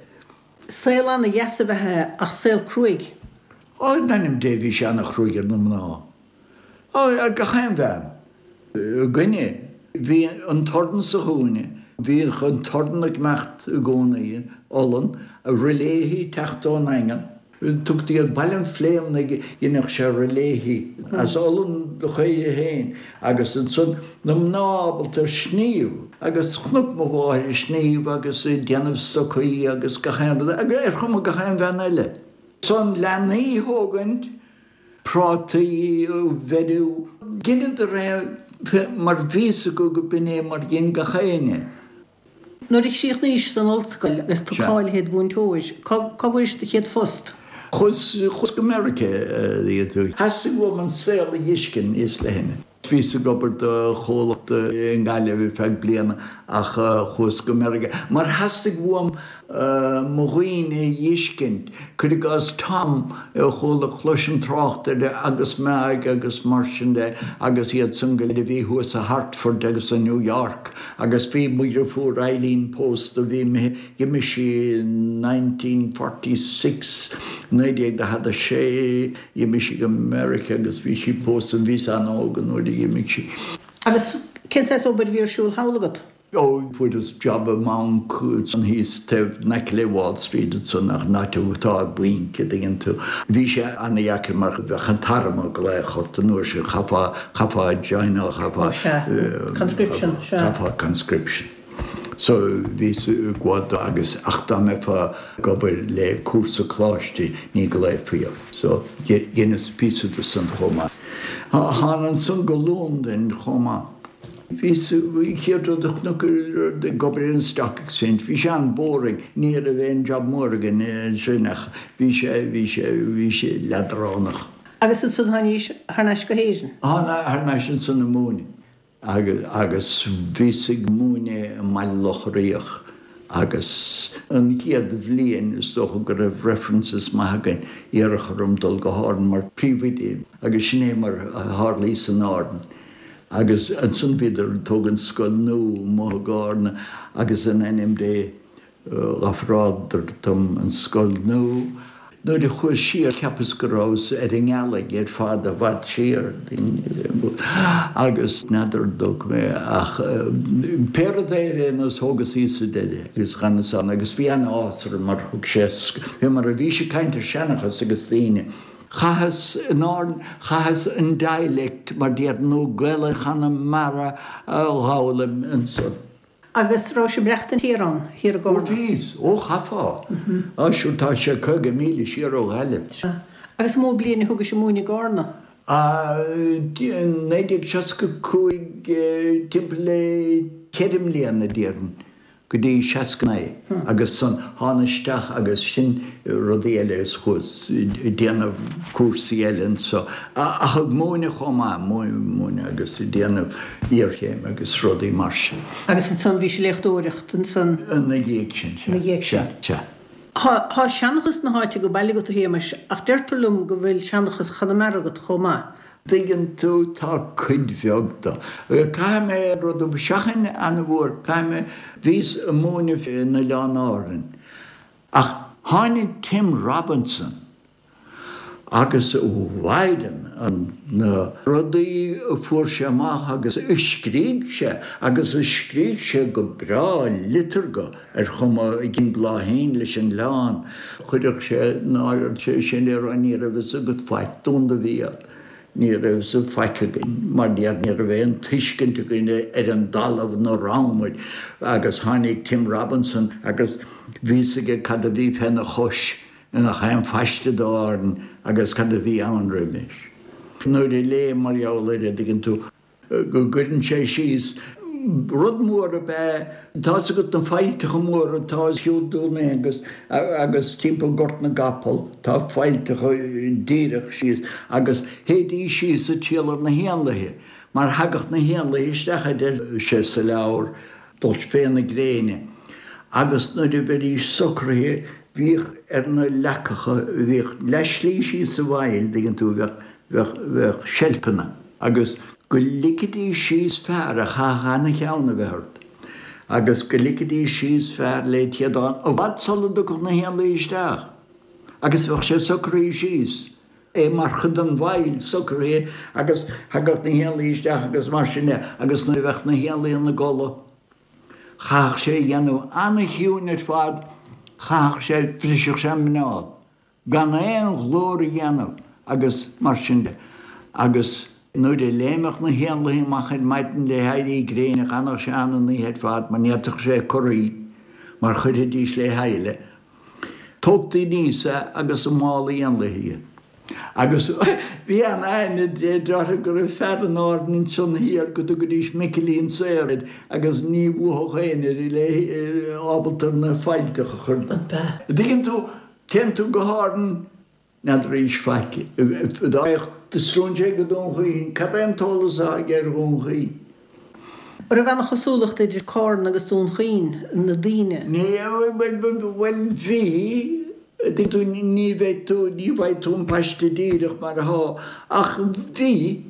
Saol ana-dheas ab ea é ach saol cruaidh. Ó, in ainm Dé, bhí sé ana-chruaidh ar na mná. Ó, ar gach aon bhean. Againne, bhí an torann sa chúinne, bhíodh an torann ag imeacht i gcónaí, olann, riléithí ag teacht ón nDaingean. Tugtaí ar Baile an Phléimnigh, dheineadh sé riléithí as olann do chaoire féin agus ansan na mná ábalta ar sníomh agus chonac mo mháthair ag sníomh agus ag déanamh stocaí agus gach aon rud agus ar chuma gach aon bhean eile. San leanaí a thógaint, prátaí a bheiriú, dheineadar é mar bhí fhios acu go b'in é mar dhein gach éinne. Nuair a chríochnaís san ollscoil agus tú cáilithe id mhúinteoir, cá bhfuairis do chéad phost? Chuas, chuas go Meiriceá. Theastaigh uaim an saol a dh'fheiscint níos leithne. Bhíos ag obair do chomhlacht i nGaillimh ar feadh bliana ach chuas go Meiriceá mar theastaigh uaim mo dhaoine a dh'fheiscint. Cuir i gcás Tom, chuala chloisim trácht air agus Meaig agus mar sin de agus iad san go léir a bhí thuas i Hartford agus i New York agus bhí mo dhriofúr Eileen pósta, bhí d'imigh sí i nineteen forty six, naoi déag daichead a sé, d'imigh sí go Meiriceá agus bhí sí pósta, bhíos an-óg an uair a d'imigh sí. Agus cén saghas obair a bhí ar siúl thall agat? Ó, fuaireas job i mbanc ansan thíos taobh in aice le Wall Street ansan ach an áit atá an banc a dtuigeann tú. Bhí sé ana-dheacair mar bheadh an t-arm ag glaoch ort an uair sin, chaithfeá, chaithfeá joineáil, chaithfeá, Ó sea, conscription, sea. Chaithfeá conscription. So bhíos ag gabháil dó agus ach dá mbeifeá ag obair le cúrsa coláiste ní ghlaofaí ort. So dheineas píosa de san chomh maith. Thána ansan go Londain chomh maith. Bhíos, an chéad rud a chonac ag obair ar an Stock Exchange, bhí sé an-boring, ní raibh aon job mór againn ansin ach bhí sé, bhí sé, bhí sé leadránach. Agus ansan tháinís thar n-ais go hÉirinn? Thána thar n-ais ansan ag múineadh agus, agus bhíos ag múineadh i mBaile Locha Riach agus an chéad bhliain is dócha go raibh references maith againn, iarradh orm dul go hÁrainn mar príomhoide agus sin é mar a tharlaíos in Árainn. Agus ansan bhíodar ag tógaint scoil nua amuigh i gCárna agus in ainm Dé dh'ofráladar dom an scoil nua. Nuair a chuas siar cheapas go rabhas ar an ngealaigh ar fad i bhfad siar agus n'fheadar an dtóg mé ach pé rud é ar aon nós thógas í sa deireadh agus dh'fhanas ann agus bhí an-áthas orm mar thug sé fé mar a bhís ag caint ar seanchas agus daoine Chaitheas in Árainn, chaitheas an dialect mar déarfainn nó Gaelainn Chonamara a dh'fhoghlaim ansan. Agus rabhais ag maireachtaint thiar ann, thiar i Ó gCárna? bhíos, ó chaithfeá. Á sure tá sé caoga míle siar ó Ghaillimh. Sea. Agus an mó bliain a thugais ag múineadh i gCárna? Á, naoi déag seasca cúig, timpeall le ceithre mbliana déarfainn. go dtí seasca naoi agus san thána isteach agus sin rudaí eile is chuas ag déanamh cúrsaí eile anso ach ag múineadh chomh maith, múineadh agus ag déanamh iarchéim agus rudaí mar sin. Agus ansan bhís ag léachtóireacht ansan? Ina dhiaidh sin, sea. Ina dhiaidh sin. Sea. Tá tá seanchas na háite go baile agat a Shéamais ach deirtear liom go bhfuil seanchas Chonamara agat chomh maith. dtuigeann tú, tá cuid bheag de. Caithfidh mé rud a seachain an-mhór, caithfidh mé, bhíos ag múineadh in Oileáin Árann ach tháinig Tim Robinson agus a mhaighdean, na rudaí a fuair sé amach agus a scrígh sé agus a scrígh sé go breá liteartha ar chuma i gCinn Bláithín leis an oileán, chuirfeadh sé náire ort sin a rá ní raibh fhios agat faic Dún do bhéal. Ní raibh fhios faic againn, mar ní raibh aon tuiscint againn ar an dtalamh ina raibh muid agus tháinig Tim Robinson agus bhí fhios aige cad a bhí féna chois nach aon phaiste d'Árainn agus cad a bhí ann roimis. Nuair a léim mar gheall air, a' dtuigeann tú, go gcuireann sé síos. Rud mór ab ea, tá's agat na faillteacha móra atá os cionn Dún Aonghus agus timpeall Gort na gCapall, tá faillteacha díreach síos agus théidís síos ag triall ar na héanlaithe mar thagadh na héanlaithe isteach a deir sé sa leabhar, dul fé na gréine agus nuair a bheidís socraithe bhíodh ar na leacacha, bhíodh leath-slí síos sa bhfaill, dtuigeann tú, bheadh, bheadh, bheadh seilpeanna agus. go ligfidís síos fear a chaithfeadh ana-cheann a bheith ort, agus go ligfidís síos fear le téadán i bhfad sula dtiocfadh na héanlaithe isteach, agus bheadh sé socraithe síos, é mar chuid den bhfaill socraithe, agus thagadh na héanlaithe isteach agus mar sin de, agus nuair a bheadh na héanlaithe ina gcodladh, chaithfeadh sé a dhéanamh ana-chiúin ar fad, chaithfeadh sé, bhrisfeadh sé an muineál. gan aon ghlór a dhéanamh agus mar sin de. Agus nuair a léimfeadh na héanlaithe amach ar maidin le héirí gréine d'fhanadh sé ann an oíche ar fad mar ní fhéadfadh sé corraí mar chuirfidís le chéile. Tógtaí aníos é agus i mála éanlaithe é. Agus bhí an-aithne deirtear go raibh fear in Árainn ansan thiar go dtugaidís Micilín Saor air agus ní bhuafadh éinne air le ábalta ar na faillteacha a chur de. Dtuigeann tú? Téann tú go hÁrainn, n'fheadar arís faic. Dá mbeadh stróinséir go Dún Chaoin, cad é an t-eolas atá aige ar Dhún Chaoin? An raibh an-chosúlacht idir Cárna agus Dún Chaoin, na daoine? Ní, bhuel, bhí, dtuigeann tú, ní bheidh tú, ní bhfaighidh tú an paiste díreach mar atá, ach bhí,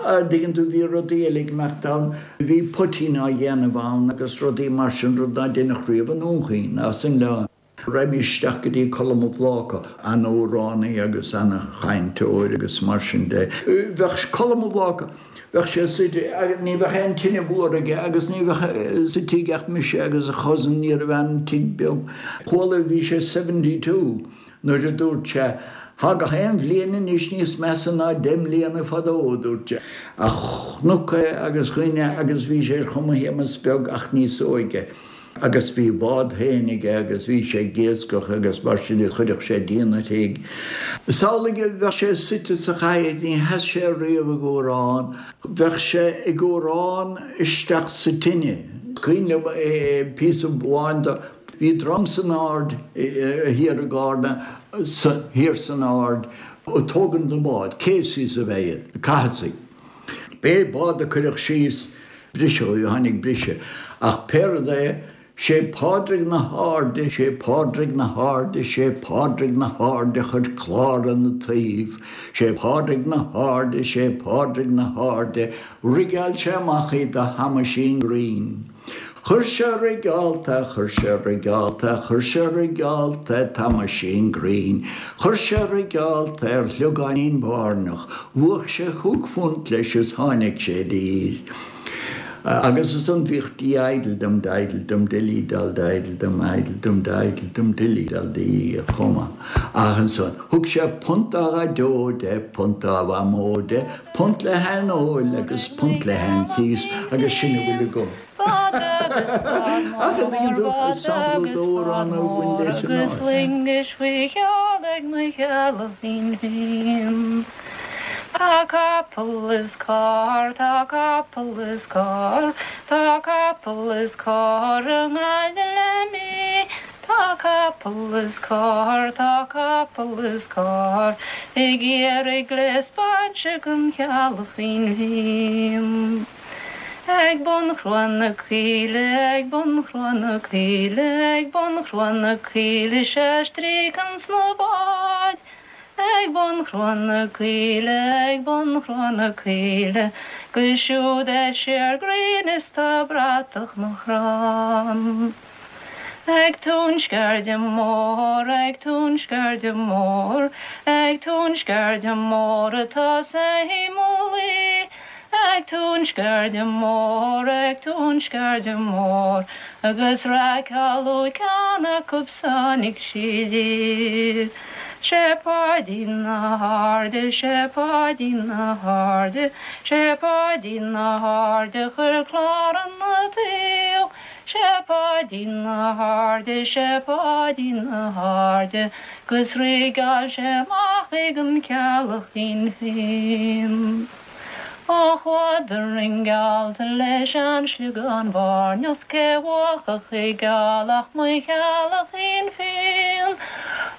dtuigeann tú, bhí rudaí eile ag imeacht ann, bhí poitín á dhéanamh ann agus rudaí mar sin, rud ná deineadh riamh i nDún Chaoin ná san oileán. Raghaimís isteach go dtí Colm Ó Bláca, an-amhránaí agus an-chainteoir agus mar sin de. Bheadh Colm Ó Bláca, bheadh sé suite, ní bheadh aon tine mhór aige agus ní bheadh sa tigh ach mise agus a chousin, ní raibh aon tigh beag. Chuala, bhí sé seventy two nuair a dúirt sé, Thá gach aon bhliain anois níos measa ná deich mbliana fadó, a dúirt sé. Ach chonac é agus dhuine agus bhí sé ar chuma Shéamus Beag ach níos óige. Agus bhí a bhád féin aige agus bhí sé ag iascach agus mar sin de chuireadh sé díon ar thigh. Samhlaigh, bheadh sé suite sa chathaoir, ní sheas sé riamh ag amhrán, bheadh sé ag amhrán isteach sa tine. Cuimhin liom píosa amháin de, bhí dream san Aird thiar i gCárna, thiar san Aird, ag tógaint na mbád, Caseys ab ea iad, na Cathasaigh. Pé bád a cuireadh síos, Briseadh, tháinig briseadh. Ach pé rud é, sé Pádraig na hAirde, sé Pádraig na hAirde, sé Pádraig na hAirde a chuir clár ina taobh, sé Pádraig na hAirde, sé Pádraig na hAirde, rigeáil sé amach í do Thomaisín Green. Chuir sé rigeálta, chuir sé rigeálta, chuir sé rigeálta Thomaisín Green, chuir sé rigeálta ar shliogáinín báirneach, bhuaigh sé chúig phunt leis is tháinig sé i dtír. Agus ansan bhíodh dí idle dum didle dum dilly dal didle dum idle dum didle dum dilly dal dee chomh maith. Ach ansan, thug sé punt dá dhaideo de, punt dá mhamó de, punt le haghaidh an óil agus punt le haghaidh an chíos agus sin a bhfuil agam. Ach an dtuigeann tú, is sampla d'amhrán a bhain leis an áit. Tá capall is carr, tá capall is carr, tá capall is carr i nGaillimh le mí. Tá capall is carr, tá capall is carr, ag iarraidh gléas bainse don Cheallachín Fhinn. Ag bun Chró na Caoile, ag bun Chró na Caoile, ag bun Chró na Caoile sé stríocann sna báid. Ag bun Chró na Caoile, ag bun Chró na Caoile, gus siúd é siar gréin is tá bratach na crann. Ag Tóin Sceirde Mór, ag Tóin Sceirde Mór, ag Tóin Sceirde Mór atá sé mo luí. Ag Tóin Sceirde Mór, ag Tóin Sceirde Mór, agus raiceáladh ceann acu sáinig sí. Sé Páidín na hAirde, sé Páidín na hAirde, sé Páidín na hAirde chuir clár na taobh. Sé Páidín na hAirde, sé Páidín na hAirde, gus rigeáil sé amach ag an Cheallachín Finn. Ó chuadar an geallta leis an sliogán bhairneas cé bhuachach i gealach mo Cheallachín Finn.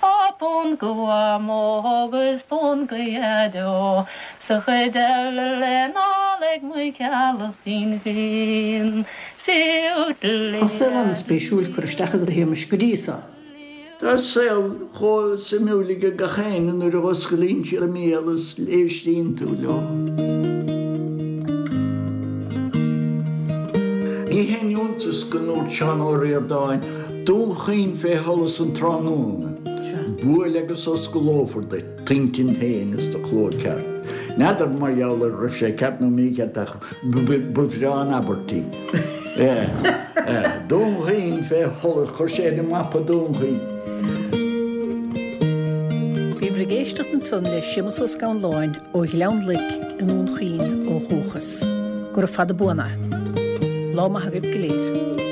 Ó punt go Mhamó agus punt go Dhaideo, sa chuid eile le n-ól ag mo Cheallachín Finn. Tá saol an-spéisiúil curtha isteach agat a Shéamais go dtí seo. Tá saol chomh suimiúil ag gach éinne nuair a osclaíonn siad a mbéal is éistíonn tú leo. Ní haon iontas go ndúirt Seán Ó Ríordáin, Dún Chaoin fé sholas an tráthnóna, buail agus osclófar duit t'intinn féin is do chló ceart. N'fheadar mar gheall ar raibh sé ceart nó mícheart ach ba bhreá an abairt í. Dún Chaoin fé sholas, chuir sé ar an mapa Dún Chaoin. Bhíobhair ag éisteacht ansan le Séamus Ó Scanláin ó Ghleann Loic i nDún Chaoin ó dhúchas. Gura fada buan é. Lá maith agaibh go léir.